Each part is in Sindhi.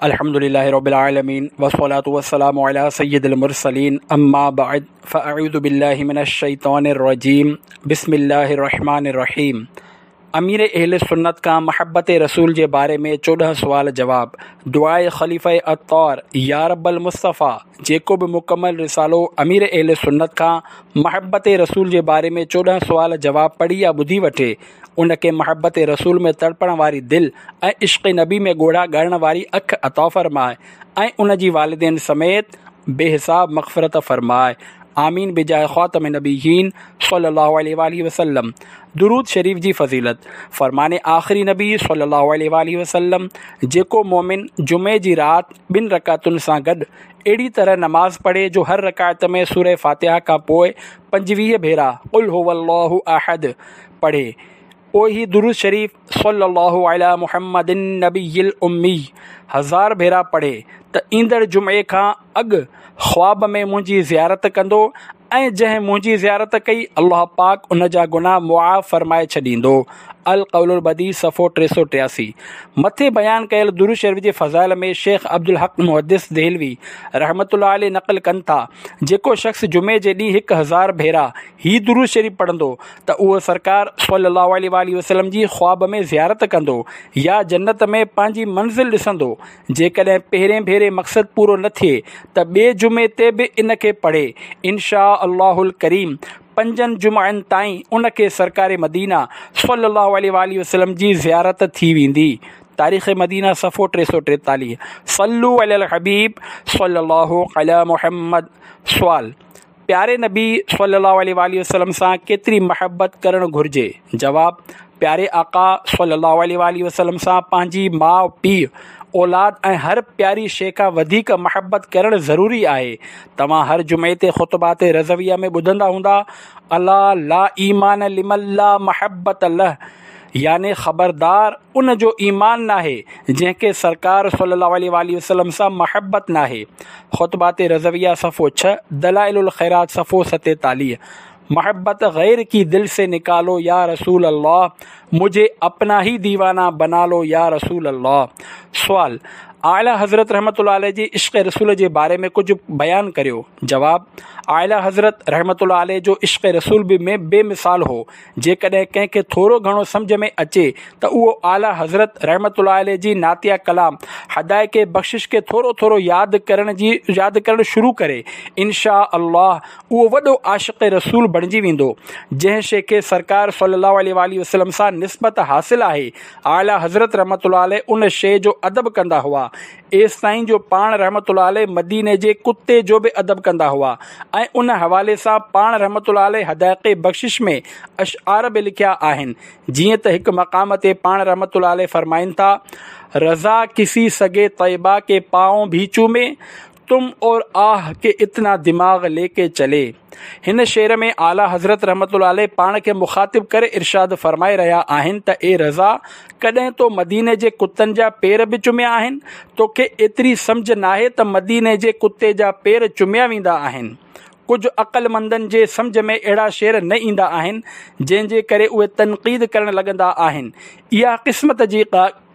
الحمد لله رب العالمين والصلاة والسلام على سيد المرسلين اما بعد فاعوذ بالله من الشيطان الرجيم بسم الله الرحمن الرحيم امير اهل سنت کان محبت رسول جي باري ۾ 14 سوال جواب دعاء خليفه عطار يا رب المصطفيٰ جيڪو به مڪمل رسالو امير اهل سنت کان محبت رسول جي باري ۾ 14 سوال جواب پڙهي يا ٻڌي وٺي ان کي محبت رسول ۾ تڙپڻ واري دل ۽ عشق نبي ۾ ڳوڙها ڳاڙڻ واري اک عطا فرماء ۽ ان جي والدين سميت بي حساب مغفرت فرماء آمين بجاه خاتم النبيين صلي الله عليه واله وسلم. درود شريف جي فضيلت، فرمان آخري نبي صلي الله عليه واله وسلم، جيڪو مؤمن جمعي جي رات ٻن رڪعتن سان گڏ اهڙي طرح نماز پڙهي جو هر رڪعت ۾ سوره فاتحه کان پوء 25 ڀيرا قل هو الله احد پڙهي پوء هي درود شريف صلي الله علي محمد النبي الامي هزار ڀيرا پڙهي ته ايندڙ جمعي کان اڳ خواب ۾ منهنجي زيارت ڪندو ۽ جنهن منهنجي زيارت ڪئي الله پاڪ ان جا گناهه معاف فرمائي ڇڏيندو. القول البديع صفحو 383. مٿي بيان ڪيل درود شريف جي فضائل ۾ شيخ عبدالحق محدث دهلوي رحمة الله عليه نقل ڪن ٿا، جيڪو شخص جمعي جي ڏينهن 1000 ڀيرا هي درود شريف پڙهندو ته اهو سرڪار صلي الله عليه واٰله وسلم جي خواب ۾ زيارت ڪندو يا جنت ۾ پنهنجي منزل ڏسندو. جيڪڏهن پهرين ڀيري مقصد پورو نه ٿئي ته ٻئي جمعي تي به ان کي پڙهي، ان شاء الله الڪريم پنجن جمعن تائين ان کي سرڪار مدينه صلي الله عليه واٰله وسلم جي زيارت ٿي ويندي. تاريخ مدينه صفحو 343. صلو علي الحبيب صلي الله علي محمد. سوال، پياري نبي صلي الله عليه واٰله وسلم سان ڪيتري محبت ڪرڻ گهرجي؟ جواب، پياري آقا صلي الله عليه واٰله وسلم سان پنهنجي ماء پيء، اولاد ۽ هر پياري شيء کان وڌيڪ محبت ڪرڻ ضروري آهي. توهان هر جمعي تي خطبات رضويه ۾ ٻڌندا هوندا، الا لا ايمان لمن لا محبت له يعني خبردار ان جو ايمان ناهي جنهن کي سرڪار صلي الله عليه واٰله وسلم سان محبت ناهي. خطبات رضويه صفحو 6، دلائل الخيرات صفحو 47. محبت غير ڪي دل سي نڪالو يا رسول الله مجھي اپنا هي ديوانا بنا لو يا رسول الله. سوال، اعليٰ حضرت رحمة الله عليه جي عشق رسول جي باري ۾ ڪجهه بيان ڪريو. جواب، اعليٰ حضرت رحمة الله عليه جو عشق رسول به بي مثال هو. جيڪڏهن ڪنهن کي ٿورو گهڻو سمجهه ۾ اچي ته اهو اعليٰ حضرت رحمة الله عليه جي نعتيه ڪلام حدائق بخشش کي ٿورو ٿورو ياد ڪرڻ جي ياد ڪرڻ شروع ڪري، ان شاء الله اهو وڏو عاشق رسول بڻجي ويندو. جنهن شيء کي سرڪار صلي الله عليه واٰله وسلم سان نسبت حاصل آهي، اعليٰ حضرت رحمة الله عليه ان شيء جو ادب ڪندا هئا. ايستائين جو پاڻ رحمة الله عليه مديني جي ڪتي جو به ادب ڪندا هئا ۽ ان حوالي سان پاڻ رحمة الله عليه حدائق بخشش ۾ اشعار به لکيا آهن جيئن ته هڪ مقام تي پاڻ رحمة الله عليه فرمائن ٿا، رضا ڪسي سگي طيبه ڪي پائون ڀي چومي، تم اور آه ڪي اتنا دماغ لي ڪي چلي. هن شعر ۾ اعليٰ حضرت رحمة الله عليه پاڻ کي مخاطب ڪري ارشاد فرمائي رهيا آهن ته اي رضا! ڪڏهن تو مديني جي ڪتن جا پير به چميا آهن؟ توکي ايتري سمجهه ناهي ته مديني جي ڪتي جا پير چميا ويندا آهن؟ ڪجهه عقلمندن جي سمجهه ۾ اهڙا شعر نه ايندا آهن، جنهن جي ڪري اهي تنقيد ڪرڻ لڳندا آهن. اها قسمت جي.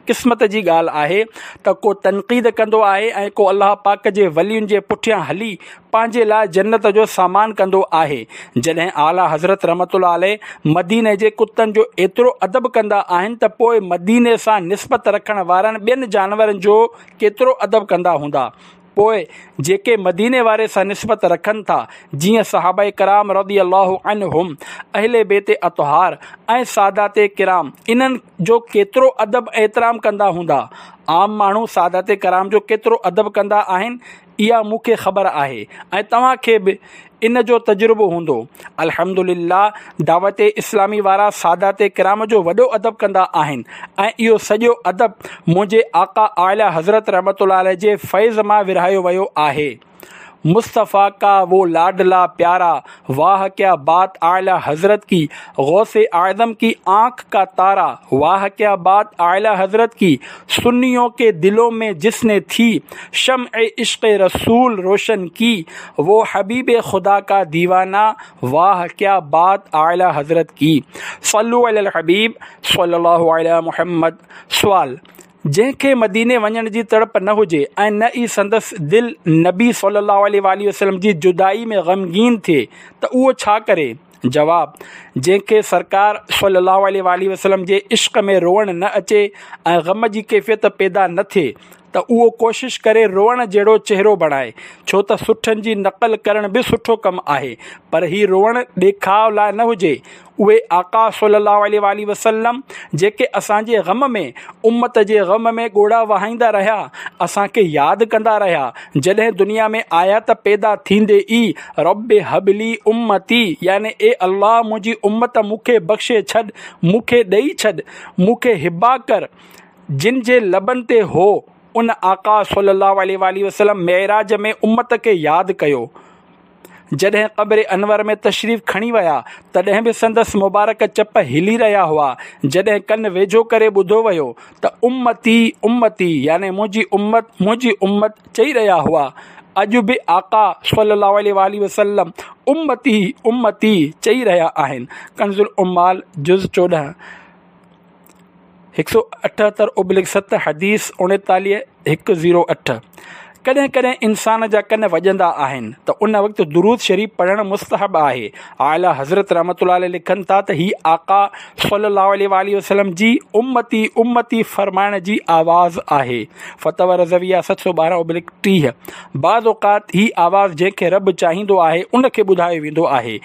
قسمت جي ڳالهه آهي ته ڪو تنقيد ڪندو آهي ۽ ڪو الله پاڪ جي ولين جي پٺيان هلي پنهنجي لاء جنت جو سامان ڪندو آهي. جڏهن اعليٰ حضرت رحمة الله عليه مديني جي ڪتن جو ايترو ادب ڪندا آهن ته پوء مديني سان نسبت رکڻ وارن ٻين جانورن جو ڪيترو ادب ڪندا هوندا. پوء جيڪي مديني واري سان نسبت رکن ٿا، جيئن صحابه ڪرام رضي الله عنهم، اهل بيت اطهار ۽ سادات ڪرام، انهن جو ڪيترو ادب ۽ احترام ڪندا هوندا. عام ماڻهو سادات ڪرام جو ڪيترو ادب ڪندا آهن، اها مون کي خبر آهي ۽ توهان کي به ان جو تجربو هوندو. الحمد لله دعوت اسلامي وارا سادات ڪرام جو وڏو ادب ڪندا آهن ۽ اهو سڄو ادب منهنجي آقا اعليٰ حضرت رحمة الله عليه جي فيض مان ورهايو ويو آهي. مصطفيٰ ڪا وو لاڊلا پيارا واه ڪيا بات اعليٰ حضرت ڪي غوث اعظم ڪي آنک ڪا تارا واه ڪيا بات اعليٰ حضرت ڪي سنيون ڪي دلون مين جس ني ٿي شمع عشق رسول روشن ڪي وو حبيب خدا ڪا ديوانا واه ڪيا بات اعليٰ حضرت ڪي صلو علي الحبيب صلي الله علي محمد سوال. جنهن کي مديني وڃڻ جي تڙپ نه هجي ۽ نه ئي سندس دل نبي صلي الله عليه واٰله وسلم جي جدائي ۾ غمگين ٿئي ته اهو ڇا ڪري؟ جواب، جنهن کي سرڪار صلي الله عليه واٰله وسلم جي عشق ۾ روئڻ نه اچي ۽ غم جي ڪيفيت پيدا نه ٿئي ته اهو ڪوشش ڪري روئڻ جهڙو چهرو بڻائي، ڇو ته سٺن جي نقل ڪرڻ به سٺو ڪم آهي، پر هي روئڻ ڏيکاء لاء نه هجي، اهي آقا صلّي اللّٰه عليه واٰله وسلّم جيڪي اسان جي غم ۾ امّت جي غم ۾ ڳوڙها وهائيندا رهيا، اسان کي ياد ڪندا رهيا، جڏهن دنيا ۾ آيا ته پيدا ٿيندي ئي ربّ هب لي امّتي يعني اي الله منهنجي امّت مون کي بخشي ڇڏ، مون کي ڏئي ڇڏ، مون کي هبه ڪر، جن جي لبن تي هو، ان آقا صلّي اللّٰه عليه واٰله وسلّم معراج ۾ امّت کي ياد ڪيو. جڏهن قبر انور ۾ تشريف کڻي ويا، تڏهن به سندس مبارڪ چپ هلي رهيا هئا. جڏهن ڪن ويجهو ڪري ٻڌو ويو ته امتي امتي يعني منهنجي امت منهنجي امت چئي رهيا هئا. اڄ به آقا صلي الله عليه واٰله وسلم امتي امتي چئي رهيا آهن. ڪنز العمال جز 14. 178/7 حديث 39 108 ڪڏهن ڪڏهن انسان جا ڪن وڄندا آهن ته ان وقت درود شريف پڙهڻ مستحب آهي. اعليٰ حضرت رحمة الله عليه لکن ٿا ته هي آقا صلي الله عليه واٰله وسلم جي امتي امتي فرمائڻ جي آواز آهي. فتاويٰ رضويه 712/30 بعض اوقات هي آواز جنهن کي رب چاهيندو آهي ان کي ٻڌايو ويندو آهي.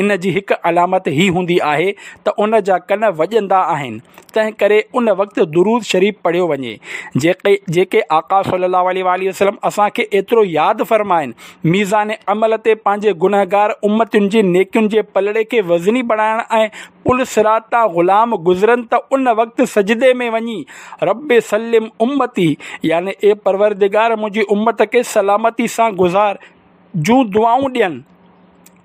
ان جي هڪ علامت هي هوندي آهي ته ان جا ڪن وڄندا آهن، تنهن ڪري ان وقت درود شريف پڙهيو وڃي. جيڪي جيڪي آقا صلي الله عليه واٰله وسلم اسان کي ايترو ياد فرمائن، ميزان عمل تي پنهنجي گنهگار امتين جي نيڪين جي پلڙي کي وزني بڻائڻ ۽ پل صراط تان غلام گذرن ته ان وقت سجدي ۾ وڃي رب سلم امتي يعني اي پروردگار منهنجي امت کي سلامتي سان گذار جون دعائون ڏين.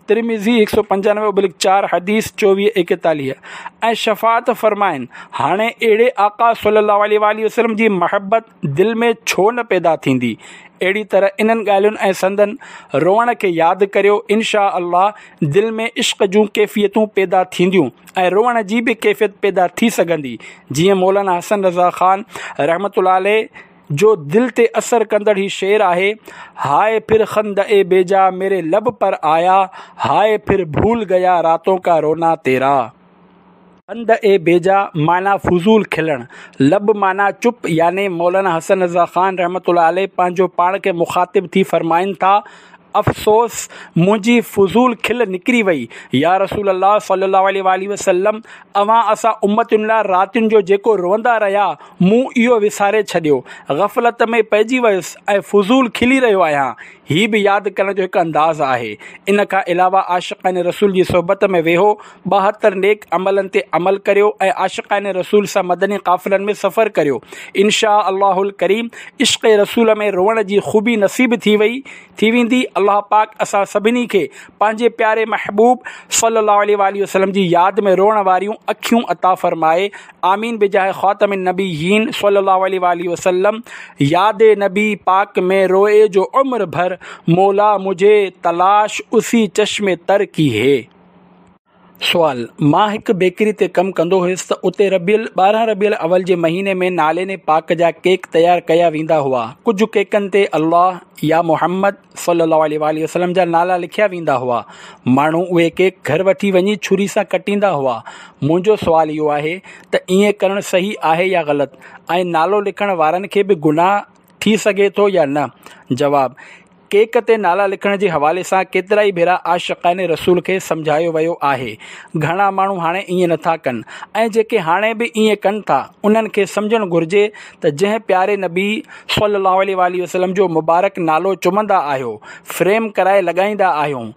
ترمذي 195/4 حديث 24 41 ۽ شفاعت فرمائن، هاڻي اهڙي آقا صلي الله عليه واٰله وسلم جي محبت دل ۾ ڇو نه پيدا ٿيندي؟ اهڙي طرح انهن ڳالهين ۽ سندن روئڻ کي ياد ڪريو ان شآء الله دل ۾ عشق جون ڪيفيتون پيدا ٿينديون ۽ روئڻ جي به ڪيفيت پيدا ٿي سگهندي جيئن مولانا حسن رضا خان رحمة الله عليه جو دل تي اثر ڪندڙ هي شعر آهي، هاء ڦر خنده اي بيجا ميري لب پر آيا، هاء ڦر ڀول گيا راتون ڪا رونا تيرا. خنده اي بيجا معنيٰ فضول کلڻ، لب معنيٰ چپ يعني مولانا حسن رضا خان رحمة الله عليه پنهنجو پاڻ کي مخاطب ٿي فرمائن ٿا، افسوس منهنجي فضول کل نڪري وئي، يا رسول الله صلي الله عليه واٰله وسلم اوهان اسان امتين لاء راتين جو جيڪو روئندا رهيا مون اهو وساري ڇڏيو، غفلت ۾ پئجي ويس ۽ فضول کلي رهيو آهيان، هي به ياد ڪرڻ جو هڪ انداز آهي. ان کان علاوه عاشقان رسول جي صحبت ۾ ويهو، 72 نيڪ عملن تي عمل ڪريو ۽ عاشقان رسول سان مدني قافلن ۾ سفر ڪريو. ان شآء الله الڪريم عشق رسول ۾ روئڻ جي خوبي نصيب ٿي وئي ٿي ويندي. الله پاڪ اسان سڀني کي پنهنجي پياري محبوب صلي الله عليه واٰله وسلم جي ياد ۾ روئڻ واريون اکيون عطا فرمائي. آمين بجاه خاتم النبيين صلي الله عليه واٰله وسلم ياد نبي پاڪ ۾ روئي جو عمر ڀر مولا مجهي تلاش اسي چشم تر ڪي هي. سوال، مان هڪ بيڪري تي ڪم ڪندو هيس ته اتي ربيع 12 ربيع الاول جي مهيني ۾ نعلين پاڪ جا ڪيڪ تيار ڪيا ويندا هئا. ڪجهه ڪيڪن تي الله يا محمد صلي الله عليه واٰله وسلم جا نالا لکيا ويندا هئا. ماڻهو اهي ڪيڪ گهر وٺي وڃي ڇري سان ڪٽيندا هئا. منهنجو سوال اهو آهي ته ائين ڪرڻ صحيح آهي يا غلط ۽ نالو لکڻ وارن کي به گناهه ٿي سگهي ٿو يا نه؟ جواب، ڪيڪ تي نالا لکڻ جي حوالي سان ڪيترائي ڀيرا عاشقان رسول کي سمجهايو ويو آهي. گهڻا ماڻهو هاڻي ائين نٿا ڪن ۽ جيڪي هاڻي به ائين ڪن ٿا انهن کي سمجهڻ گهرجي ته جنهن پياري نبي صلي الله عليه واٰله وسلم جو مبارڪ نالو چمندا آهيو، فريم ڪرائي لڳائيندا آهيون،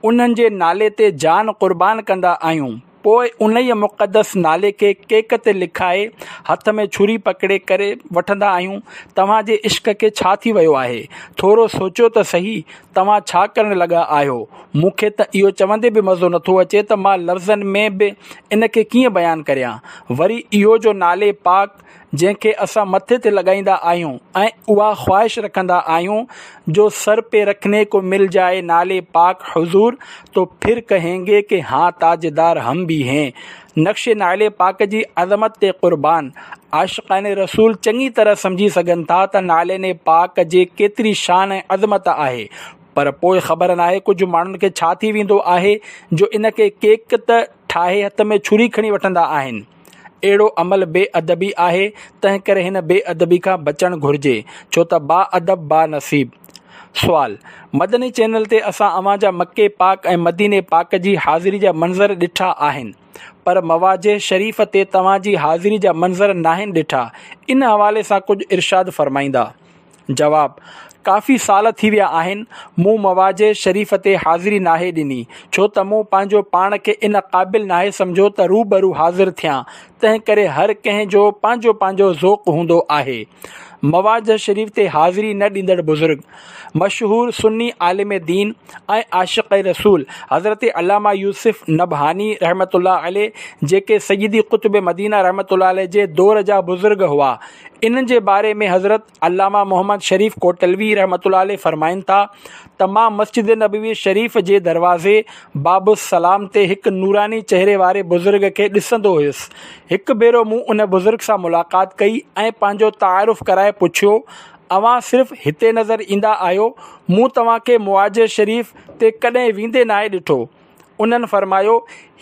انهن جي نالي تي جان قربان ڪندا آهيون، پوء انهيء مقدس نالي کي ڪيڪ تي لکائي هٿ ۾ ڇري پڪڙي ڪري وٺندا آهيون. توهان جي عشق کي ڇا ٿي ويو آهي؟ ٿورو سوچيو ته سهي، توهان ڇا ڪرڻ لڳا آهيو؟ مون کي ته اهو چوندي به مزو نٿو اچي ته مان لفظن ۾ به ان کي ڪيئن بيان ڪريان. وري اهو جو نالي پاڪ جنهن کي اسان مٿي تي لڳائيندا آهيون ۽ اها خواهش رکندا آهيون جو سر پي رکني ڪو مل جائي نعل پاڪ حضور تو ڦر ڪهين گي ڪه هان تاجدار هم ڀي هين. نقش نعل پاڪ جي عظمت تي قربان. عاشقان رسول چڱي طرح سمجهي سگهن ٿا ته نعلين پاڪ جي ڪيتري شان ۽ عظمت آهي پر پوء خبر ناهي ڪجهه ماڻهن کي ڇا ٿي ويندو آهي جو ان کي ڪيڪ ته ٺاهي هٿ ۾ ڇري کڻي وٺندا آهن. اهڙو عمل بي ادبي آهي، تنهنڪري هن بي ادبي کان بچڻ گهرجي، ڇو ته با ادب با نصيب. سوال، مدني چينل تي اسان اوهان جا مڪي پاڪ ۽ مديني پاڪ جي حاضري جا منظر ڏٺا آهن، پر مواجه شريف تي توهان جي حاضري جا منظر ناهن ڏٺا، ان حوالي سان ڪجهه ارشاد فرمائيندا. جواب، ڪافي سال ٿي ويا آهن، مون مواجه شريف تي حاضري ناهي ڏني، ڇو ته مون پنهنجو پاڻ کي ان قابل ناهي سمجهيو ته روبرو حاضر ٿيان، تنهن ڪري هر ڪنهن جو پنهنجو پنهنجو ذوق هوندو آهي. مواجه شريف تي حاضري نه ڏيندڙ بزرگ، مشهور سني عالم دين ۽ عاشق رسول حضرت علامه يوسف نبهاني رحمة الله عليه جيڪي سيدي قطب مدينه رحمة الله عليه جي دور جا بزرگ هئا، انهن جي باري ۾ حضرت علامه محمد شريف ڪوٽلوي رحمة الله عليه فرمائن ٿا ته مان مسجد نبوي شريف جي دروازي باب السلام تي هڪ نوراني چهري واري بزرگ کي ڏسندو هيس. هڪ ڀيرو مون ان بزرگ سان ملاقات ڪئي ۽ پنهنجو تعارف ڪرائي پڇيو، اوهان صرف هتي نظر ايندا آهيو، مون توهان کي مواجه شريف تي ڪڏهن ويندي ناهي ڏٺو. انهن فرمايو،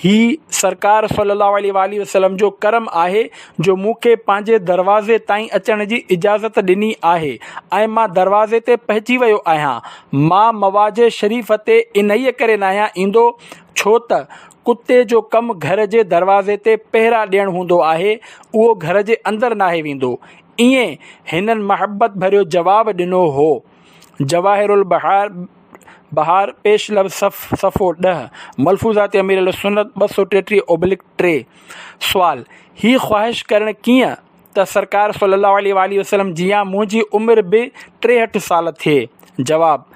هي سرڪار صلّي اللّٰه عليه واٰله وسلّم جو ڪرم آهي جو مون کي پنهنجي دروازي تائين اچڻ جي اجازت ڏني آهي ۽ مان دروازي تي پهچي ويو آهيان. مان مواجه شريف تي انهيء ڪري ناهيان ايندو ڇو ته ڪتي جو ڪم گهر جي دروازي تي پهرا ڏيڻ هوندو آهي، اهو گهر جي اندر ناهي ويندو. ائين هنن محبت ڀريو جواب ڏنو هو. جواهر البحار بحار پيش لفظ صفحو 10، ملفوظات امير اهلسنت 233/3. سوال، هي خواهش ڪرڻ ڪيئن ته سرڪار صلي الله عليه واٰله وسلم جيان منهنجي عمر به 63 سال ٿئي؟ جواب،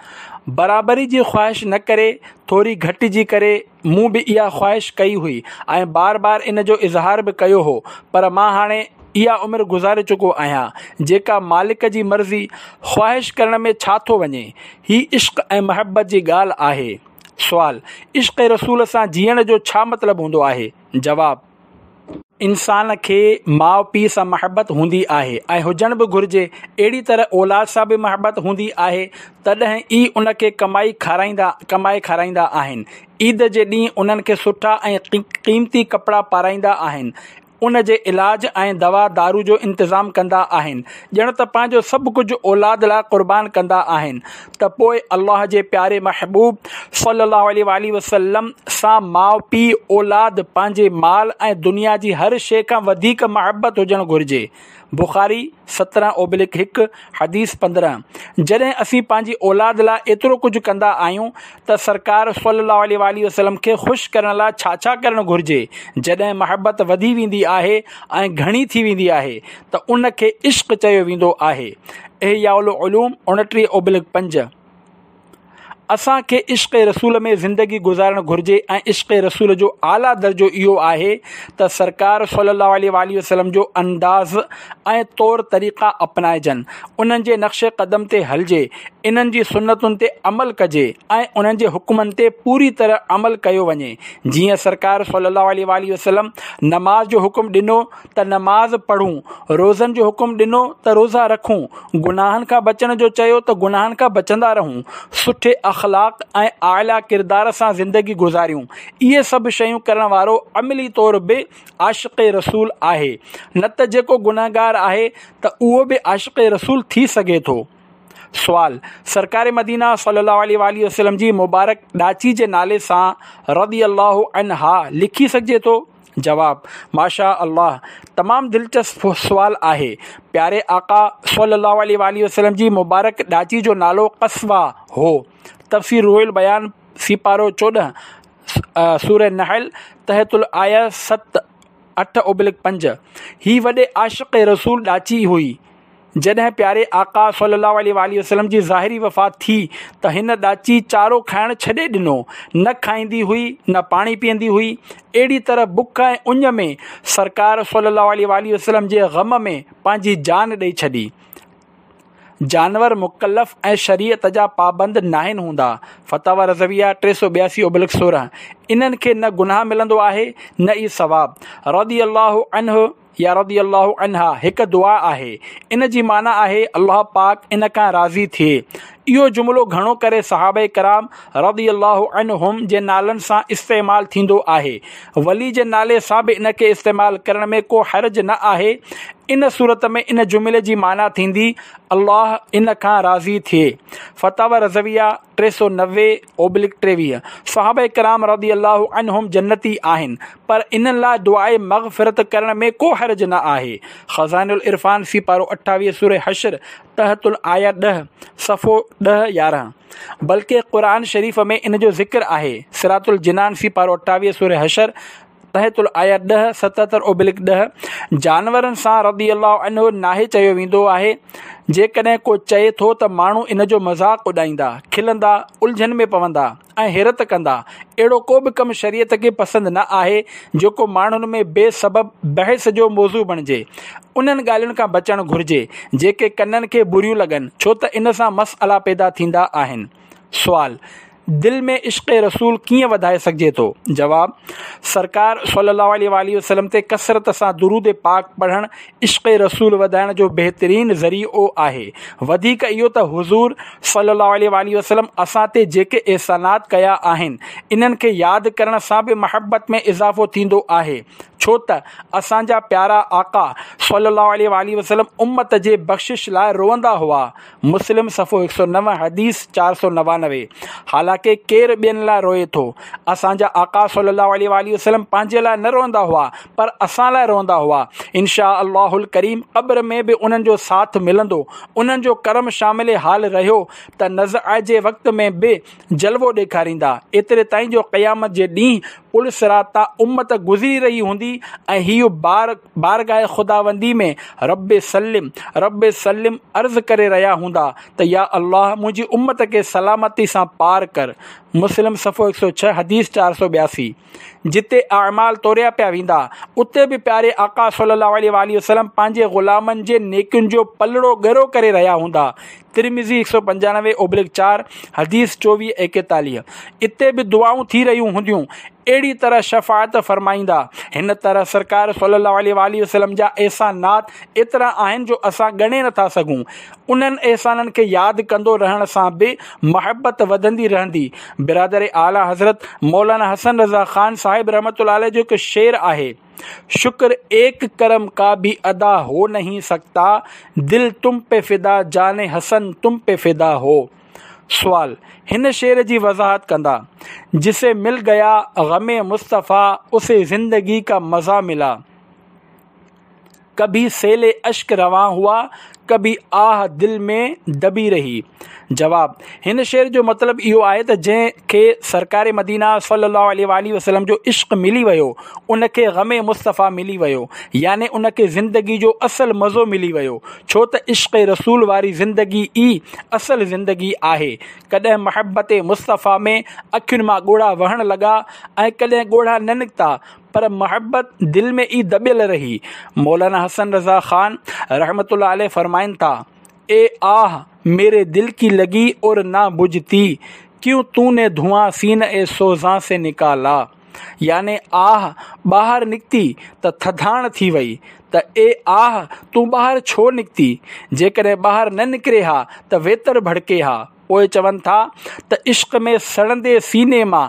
برابري جي خواهش نه ڪري ٿوري گهٽ جي ڪري مون به اها خواهش ڪئي هئي ۽ بار بار ان جو اظهار به ڪيو هو پر مان هاڻي اها عمر گذاري چڪو آهيان جيڪا مالڪ جي مرضي، خواهش ڪرڻ ۾ ڇا ٿو وڃي؟ هي عشق ۽ محبت جي ڳالهه آهي. سوال، عشق رسول سان جيئڻ جو ڇا مطلب هوندو آهي؟ جواب، انسان کي ماء پيء سان محبت هوندي آهي ۽ هجڻ به گهرجي، اهڙي طرح اولاد سان به محبت هوندي آهي تڏهن ئي ان کي ڪمائي کارائيندا ڪمائي کارائيندا آهن، عيد جي ڏينهن انهن کي سٺا ۽ قيمتي ڪپڙا پارائيندا آهن، ان جي علاج ۽ دوا دارو جو انتظام ڪندا آهن، ڄڻ ته پنهنجو سڀ ڪجهه اولاد لاء قربان ڪندا آهن ته پوء الله جي پياري محبوب صلي الله عليه واٰله وسلم سان ماء پيء، اولاد، پنهنجي مال ۽ دنيا جي هر شيء کان وڌيڪ محبت هجڻ گهرجي. بخاري، 17/1، حديث 15، جڏهن اسين پنهنجي اولاد لاء ايترو ڪجهه ڪندا آهيون ته سرڪار صلي الله عليه واٰله وسلم کي خوش ڪرڻ لاء ڇا ڇا ڪرڻ گهرجي؟ جڏهن محبت وڌي ويندي آهي ۽ گهڻي ٿي ويندي آهي ته ان کي عشق چيو ويندو آهي. احياء العلوم 29/5. اسان کي عشق رسول ۾ زندگي گذارڻ گهرجي ۽ عشق رسول جو اعليٰ درجو اهو آهي ته سرڪار صلي الله عليه واٰله وسلم جو انداز ۽ طور طريقا اپنائجن، انهن جي نقش قدم تي هلجي، انهن جي سنتن تي عمل ڪجي ۽ انهن جي حڪمن تي پوري طرح عمل ڪيو وڃي. جيئن سرڪار صلي الله عليه واٰله وسلم نماز جو حڪم ڏنو ته نماز پڙهون، روزن جو حڪم ڏنو ته روزا رکون، گناهن کان بچڻ جو چيو ته گناهن کان بچندا رهون، سٺي اخلاق ۽ اعليٰ ڪردار سان زندگي گذاريون، اهي سڀ شيون ڪرڻ وارو عملي طور به عاشق رسول آهي، نه ته جيڪو گنهگار آهي ته اهو به عاشق رسول ٿي سگهي ٿو. سوال، سرڪار مدينه صلي الله عليه واٰله وسلم جي مبارڪ ڏاچي جي نالي سان رضي الله عنها لکي سگهجي ٿو؟ جواب، ماشاء الله تمام دلچسپ سوال آهي. پياري آقا صلي الله عليه واٰله وسلم جي مبارڪ ڏاچي جو نالو قصويٰ هو. تفسير روح البيان سيپارو 14 سوره نحل تحت الايه 7 8/5 هي وڏي عاشق رسول ڏاچي هئي. جڏهن پياري آقا صلّي اللّٰه عليه واٰله وسلّم جي ظاهري وفات ٿي ته هن ڏاچي چارو کائڻ ڇڏي ڏنو، نه کائيندي هئي نه پاڻي پيئندي هئي. اهڙي طرح بک ۽ اڃ ۾ سرڪار صلّي اللّٰه عليه واٰله وسلّم جي غم ۾ پنهنجي جان ڏئي ڇڏي. جانور مڪلف ۽ شريعت جا پابند ناهن هوندا. فتاويٰ رضويه 382/16 انهن کي نه گناهه ملندو آهي نه ئي ثواب. رضي الله عنه يا رضي الله عنها هڪ دعا آهي، ان جي معنيٰ آهي الله پاڪ ان کان راضي ٿئي. اهو جملو گهڻو ڪري صحابه ڪرام رضي الله عنهم جي نالن سان استعمال ٿيندو آهي. ولي جي نالي سان به ان کي استعمال ڪرڻ ۾ ڪو حرج نه آهي. ان صورت ۾ ان جملي جي معنيٰ ٿيندي الله ان کان راضي ٿئي. فتاويٰ رضويه 390/23 صحابه ڪرام رضي الله عنهم جنتي آهن پر انهن لاء دعاء مغفرت ڪرڻ ۾ ڪو حرج نه آهي. خزائن العرفان سيپارو 28 سوره حشر تحت الايه 10 صفحو 10 11 بلڪه قرآن شريف ۾ ان جو ذڪر آهي. صراط الجنان سيپارو 28 سوره حشر تحت الايه 10 77/10 جانورن سان رضي الله عنه ناهي چيو ويندو آهي. جيڪڏهن ڪو چئي ٿو ته ماڻهو ان جو مذاق اڏائيندا، کلندا، الجهن ۾ پوندا ۽ حيرت ڪندا. اهڙو ڪو به ڪم شريعت کي پسند نه آهي جيڪو ماڻهن ۾ بي سبب بحث جو موضوع بڻجي. انهن ڳالهين کان بچڻ گهرجي جيڪي ڪنن کي بريون لڳن ڇو ته ان سان مسئلا پيدا ٿيندا آهن. سوال، دل ۾ عشق رسول ڪيئن وڌائي سگهجي ٿو؟ جواب، سرڪار صلّي اللّٰه عليه واٰله وسلّم تي ڪثرت سان درود پاڪ پڙهڻ عشق رسول وڌائڻ جو بهترين ذريعو آهي. وڌيڪ اهو ته حضور صلّي اللّٰه عليه واٰله وسلّم اسان تي جيڪي احسانات ڪيا آهن، انهن کي ياد ڪرڻ سان به محبت ۾ اضافو ٿيندو آهي. ڇو ته اسان جا پيارا آقا صلّي اللّٰه عليه واٰله وسلّم امّت جي بخشش لاء روئندا هئا. مسلم صفحو 109 حديث 499 حالانڪه ڪير ٻين لاء روئي ٿو؟ اسان جا آقا صلي الله عليه واٰله وسلم پنهنجي لاء نه روئندا هئا پر اسان لاء روئندا هئا. ان شاء الله الڪريم قبر ۾ به انهن جو ساٿ ملندو. انهن جو ڪرم شامل حال رهيو ته نزع جي وقت ۾ به جلوو ڏيکاريندا، ايتري تائين جو قيامت جي ڏينهن پل صراط تان امت گذري رهي هوندي ۽ هيء بار بارگاهه خداوندي ۾ رب سلم رب سلم عرض ڪري رهيا هوندا ته يا الله منهنجي امت کي سلامتي سان پار ڪر. مسلم صفحو 106 حديث 482. جتي اعمال توريا پيا ويندا، اتي به پياري آقا صلي الله عليه واٰله وسلم پنهنجي غلامن جي نيڪين جو پلڙو ڳرو ڪري رهيا هوندا. ترمذي 195/4 حديث 24 41. اتي به دعائون ٿي رهيون هونديون. اهڙي طرح شفاعت فرمائيندا. هن طرح سرڪار صلي الله عليه واٰله وسلم جا احسانات ايترا آهن جو اسان ڳڻي نٿا سگهون. انهن احسانن کي ياد ڪندو رهڻ سان به محبت وڌندي رهندي. برادر اعليٰ حضرت مولانا حسن رضا خان صاحب رحمة الله عليه جو هڪ شعر آهي، شڪر ايڪ ڪرم ڪا ڀي ادا هو نهين سڪتا، دل تم پي فدا جان حسن تم پي فدا هو. سوال، هن شعر جي وضاحت ڪندا. جسي مل گيا غم مصطفيٰ اسي زندگي ڪا مزا ملا. ڪڀي سيل اشڪ روان هئا، ڪڀي آه دل ۾ دبي رهي. جواب، هن شعر جو مطلب اهو آهي ته جنهن کي سرڪار مدينه صلي الله عليه واٰله وسلم جو عشق ملي ويو ان کي غم مصطفيٰ ملي ويو يعني ان کي زندگي جو اصل مزو ملي ويو ڇو ته عشق رسول واري زندگي ئي اصل زندگي آهي ڪڏهن محبت مصطفيٰ ۾ اکين مان ڳوڙها وهڻ لڳا ۽ ڪڏهن ڳوڙها نه نڪتا پر محبت دل ۾ ئي دٻيل رهي. مولانا حسن رضا خان رحمة الله عليه فرمائن ٿا، اي آه ميري دل ڪي لگي اور نه بجهتي، ڪيون تو ني ڌوئان سينه اي سوزان سي نڪالا. يعني آه ٻاهر نڪتي ته ٿڌاڻ ٿي وئي ته اي آه تون ٻاهر ڇو نڪتي، جيڪڏهن ٻاهر نه نڪري ها ته ويتر ڀڙڪي ها. پوء چون ٿا ته عشق ۾ سڙندي سيني مان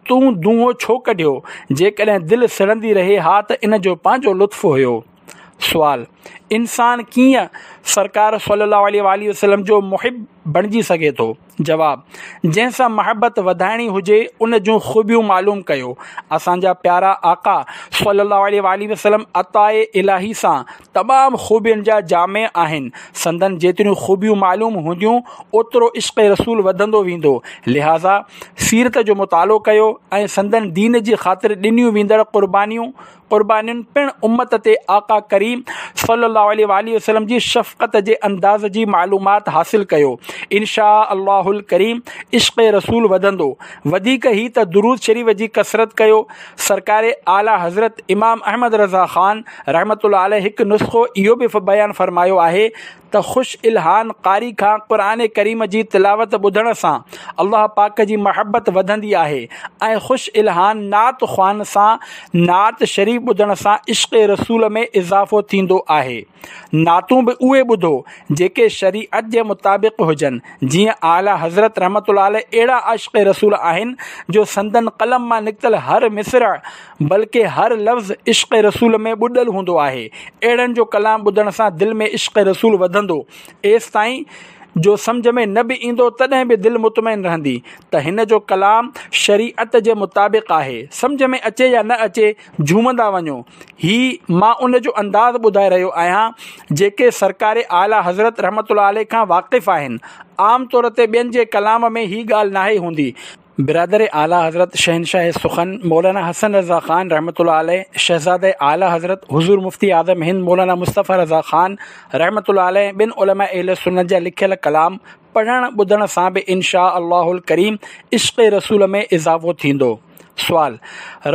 تون دونهون ڇو ڪڍيو؟ جيڪڏهن دل سڙندي رهي ها ته ان جو پنهنجو لطف هيو. سوال، انسان ڪيئن سرڪار صلي الله عليه واٰله وسلم جو محب بڻجي سگهي ٿو؟ جواب، جنهن سان محبت وڌائڻي هجي ان جون خوبيون معلوم ڪيو. اسان جا پيارا آقا صلي الله عليه واٰله وسلم عطاء الاهي سان تمام خوبين جا جامع آهن، سندن جيتريون خوبيون معلوم هونديون اوترو عشق رسول وڌندو ويندو، لهٰذا سيرت جو مطالعو ڪيو ۽ سندن دين جي خاطر ڏنيون ويندڙ قربانيون قربانين پڻ امت تي آقا ڪريم صلي صلّي الله عليه واٰله وسلّم جي شفقت جي انداز جي معلومات حاصل ڪيو. ان شآء الله الڪريم عشق رسول وڌندو. وڌيڪ هي ته درود شريف جي ڪثرت ڪيو. سرڪار اعليٰ حضرت امام احمد رضا خان رحمة الله عليه هڪ نسخو اهو به بيان فرمايو آهي ته خوش الحان قاري کان قرآن ڪريم جي تلاوت ٻڌڻ سان الله پاڪ جي محبت وڌندي آهي ۽ خوش الحان نعت خوان سان نعت شريف ٻڌڻ سان عشق رسول ۾ اضافو ٿيندو آهي. نعتون به اهي ٻڌو جيڪي شريعت جي مطابق هجن جيئن اعليٰ حضرت رحمة الله عليه اهڙا عاشق رسول آهن جو سندن قلم مان نڪتل هر مصرع بلڪه هر لفظ عشق رسول ۾ ٻڏل هوندو آهي. اهڙن جو ڪلام ٻڌڻ سان دل ۾ عشق رسول وڌندو ايستائين جو سمجهه ۾ نه به ايندو تڏهن به دل مطمئن رهندي ته هن جو ڪلام شريعت جي مطابق آهي. سمجهه ۾ اچي يا نه اچي جهومندا وڃو. هي مان ان جو انداز ٻڌائي رهيو آهيان جيڪي سرڪار اعليٰ حضرت رحمة الله عليه کان واقف آهن. عام طور تي ٻين جي ڪلام ۾ هي ڳالهه ناهي هوندي. برادر اعليٰ حضرت شهنشاهه سخن مولانا حسن رضا خان رحمة الله عليه، شهزاده اعليٰ حضرت حضور مفتي اعظم هند مولانا مصطفيٰ رضا خان رحمة الله عليه ۽ ٻين علماء اهل سنت جا لکيل ڪلام پڙهڻ ٻڌڻ سان به ان شآء الله الڪريم عشق رسول ۾ اضافو ٿيندو. سوال،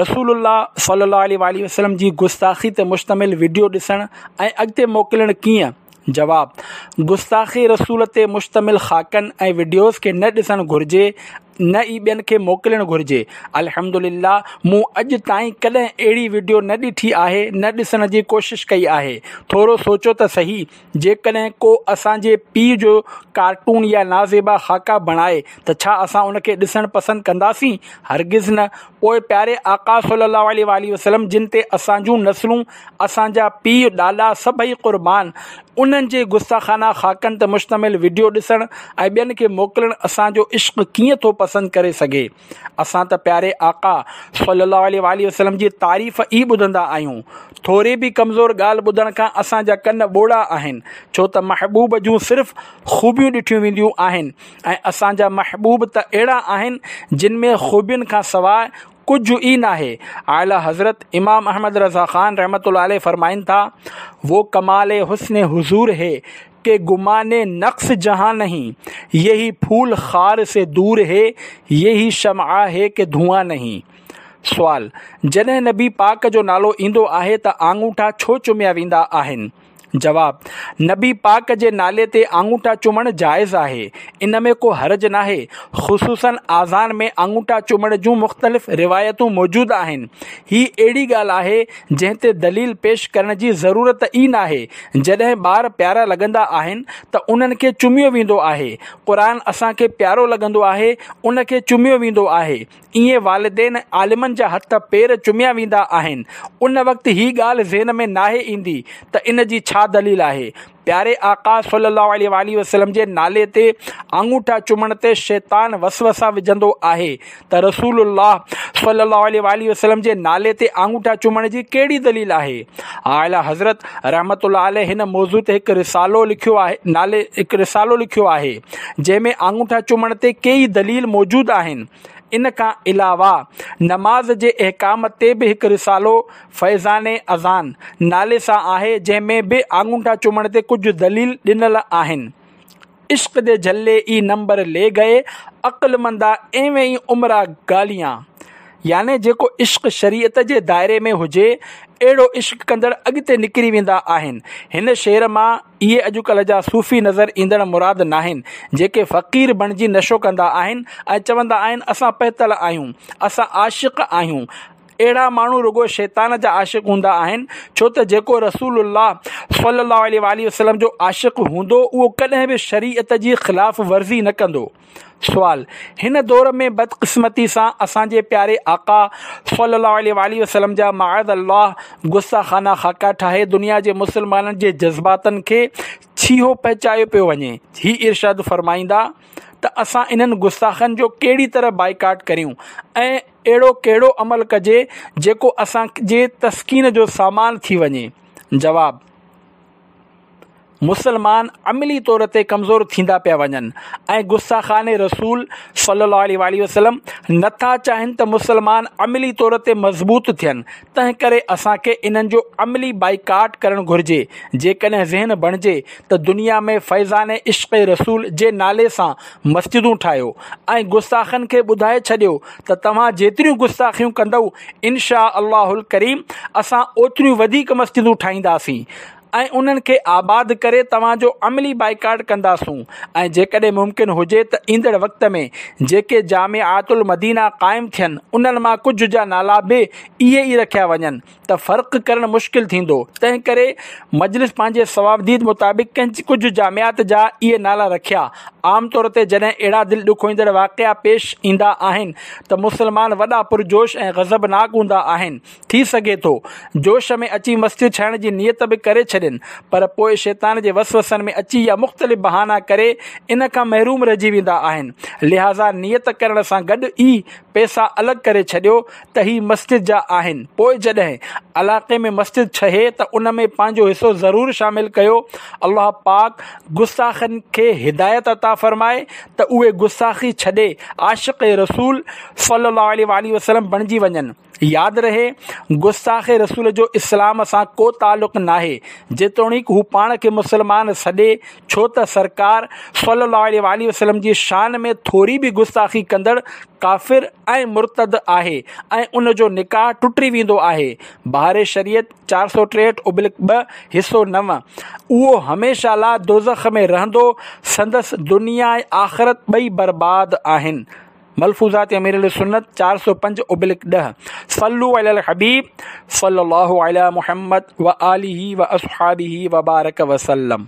رسول الله صلي الله عليه واٰله وسلم جي گستاخي تي مشتمل وڊيو ڏسڻ ۽ اڳتي موڪلڻ ڪيئن؟ جواب، گستاخي رسول تي مشتمل خاڪن ۽ وڊيوز کي نه ڏسڻ گهرجي نه ئي ٻين کي موڪلڻ گهرجي. الحمدلله مون اڄ تائين ڪڏهن اهڙي وڊيو نه ڏٺي آهي نه ڏسڻ جي ڪوشش ڪئي آهي. ٿورو سوچو ته سهي جيڪڏهن ڪو اسان جي پيء جو ڪارٽون يا نازيبا خاڪا بڻائي ته ڇا اسان ان کي ڏسڻ پسند ڪنداسين؟ هرگز نه. پوء پياري آقا صلي الله عليه واٰله وسلم جن تي اسان جون نسلون، اسان جا پيء ڏاڏا سڀئي قربان، انهن جي گستاخانه خاڪن تي مشتمل وڊيو ڏسڻ ۽ ٻين کي موڪلڻ اسان جو عشق ڪيئن ٿو پسند ڪري سگهي؟ اسان ته پياري آقا صلي الله عليه واٰله وسلم جي تعريف ئي ٻڌندا آهيون. ٿوري به ڪمزور ڳالهه ٻڌڻ کان اسان جا ڪن ٻوڙا آهن، ڇو ته محبوب جون صرف خوبيون ڏٺيون وينديون آهن ۽ اسان جا محبوب ته اهڙا آهن جن ۾ خوبين کان سواء ڪجهه ئي ناهي. اعليٰ حضرت امام احمد رضا خان رحمة الله عليه فرمائن ٿا، وو ڪمال حسن حضور هي ڪه گمان نقص جهان نهين، يهي ڦول خار سي دور هي، يهي شمع هي ڪه ڌوئان نهين. سوال، جڏهن نبي پاڪ جو نالو ايندو آهي ته آڱوٺا ڇو چميا ويندا آهن؟ جواب، نبي پاڪ جي نالي تي آڱوٺا چمڻ جائز آهي، ان ۾ ڪو حرج ناهي، خصوصاً آذان ۾ آڱوٺا چمڻ جون مختلف روايتون موجود آهن، هي اهڙي ڳالهه آهي جنهن تي دليل پيش ڪرڻ جي ضرورت ئي ناهي، جڏهن ٻار پيارا لڳندا آهن ته انهن کي چميو ويندو آهي، قرآن اسان کي پيارو لڳندو آهي ان کي چميو ويندو آهي، ائين والدين ۽ عالمن جا هٿ پير چميا ويندا آهن، ان وقت هي ڳالهه ذهن ۾ ناهي ايندي ته ان جي ڇا دليل آهي. پياري آقا صلي الله عليه واٰله وسلم جي نالي تي آڱوٺا چمڻ تي شيطان وسوسا وجهندو آهي ته رسول الله صلي الله عليه واٰله وسلم جي نالي تي آڱوٺا چمڻ جي ڪهڙي دليل آهي. اعليٰ حضرت رحمة الله عليه هن موضوع تي هڪ رسالو لکيو آهي نالي هڪ رسالو لکيو آهي جنهن ۾ آڱوٺا چمڻ تي ڪيئي دليل موجود آهن. ان کان علاوه نماز جي احڪام تي به هڪ رسالو فيضان اذان نالي سان آهي جنهن ۾ به آڱوٺا چمڻ تي ڪجهه دليل ڏنل آهن. عشق دي جهلي ئي نمبر لي گئي عقلمندا ايوين ئي عمرا گاليان يعني جيڪو عشق شريعت جي دائري ۾ هجي اهڙو عشق ڪندڙ اڳتي نڪري ويندا آهن. هن شعر مان اهي اڄڪلهه جا صوفي نظر ايندڙ مراد ناهن، جيڪي فقير بڻجي نشو ڪندا آهن ۽ چوندا آهن اسان پهتل آهيون، اسان عاشق آهيون. اهڙا ماڻهو رڳو شيطان جا عاشق هوندا آهن، ڇو ته جيڪو رسول الله صلي الله عليه واٰله وسلم جو عاشق هوندو اهو ڪڏهن به شريعت جي خلاف ورزي نه ڪندو. سوال، هن دور ۾ بدقسمتي سان اسان جي پياري آقا صلي الله عليه واٰله وسلم جا معاذ الله گستاخانه خاڪا ٺاهي دنيا جي مسلمانن جي جذباتن کي ڇيهو پهچايو پيو وڃي. هي ارشاد فرمائيندا ته اسان انهن گستاخن جو ڪهڙي طرح بائيڪاٽ ڪريون ۽ اهڙو ڪهڙو عمل ڪجي جيڪو اسان جي تسڪين جو سامان ٿي وڃي؟ جواب. مسلمان عملي طور تي ڪمزور ٿيندا پيا وڃن ۽ گستاخان رسول صلي الله عليه واٰله وسلم نٿا چاهين ته مسلمان عملي طور تي مضبوط ٿين، تنهن ڪري اسان کي انهن جو عملي بائيڪاٽ ڪرڻ گهرجي. جيڪڏهن ذهن بڻجي ته دنيا ۾ فيضان عشق رسول جي نالي سان مسجدون ٺاهيو ۽ گستاخن کي ٻڌائي ڇڏيو ته توهان جيتريون گستاخيون ڪندؤ انشاء الله الڪريم اسان اوتريون وڌيڪ مسجدون ٺاهينداسين ۽ انهن کي آباد ڪري توهان جو عملي بائيڪاٽ ڪنداسون ۽ جيڪڏهن ممڪن هجي ته ايندڙ وقت ۾ جيڪي جامعات المدينه قائم ٿين انهن مان ڪجهه جا نالا به اهي ئي رکيا وڃن ته فرق ڪرڻ مشڪل ٿيندو تنهن ڪري مجلس پنهنجي صوابديد مطابق ڪجهه جامعات جا اهي نالا رکيا. عام طور تي جڏهن اهڙا دل ڏکوئيندڙ واقعا پيش ايندا آهن ته مسلمان وڏا پرجوش ۽ غضبناڪ هوندا آهن. ٿي سگهي ٿو جوش ۾ اچي مسجد ٺاهڻ جي نيت به ڪري ڇڏين پر پوء شيطان جي وسوسن ۾ اچي يا مختلف بهانا ڪري ان کان محروم رهجي ويندا آهن. لهٰذا نيت ڪرڻ سان گڏ ئي پئسا الڳ ڪري ڇڏيو ته هي مسجد جا آهن پوء جڏهن علائقي ۾ مسجد ٺهي ته ان ۾ پنهنجو حصو ضرور شامل ڪيو. الله پاڪ گستاخن کي هدايت عطا فرمائي ته اهي گستاخي ڇڏي عاشق رسول صلي الله عليه واٰله وسلم بڻجي وڃن. ياد رهي گستاخ رسول جو اسلام سان ڪو تعلق ناهي جيتوڻيڪ هو پاڻ کي مسلمان سڏي ڇو ته سرڪار صلي الله عليه واٰله وسلم جي شان ۾ ٿوري به گستاخي ڪندڙ ڪافر ۽ مرتد آهي ۽ ان جو نڪاح ٽٽي ويندو آهي بهار شريعت 463 ابلڪ 2 حصو 9 اهو هميشه لاء دوزخ ۾ رهندو سندس دنيا ۽ آخرت ٻئي برباد آهن ملفوظات امير اهل سنت 405 ابلڪ 10 صلو علی الحبيب صلي الله علي محمد وآله واصحابه وبارك وسلم.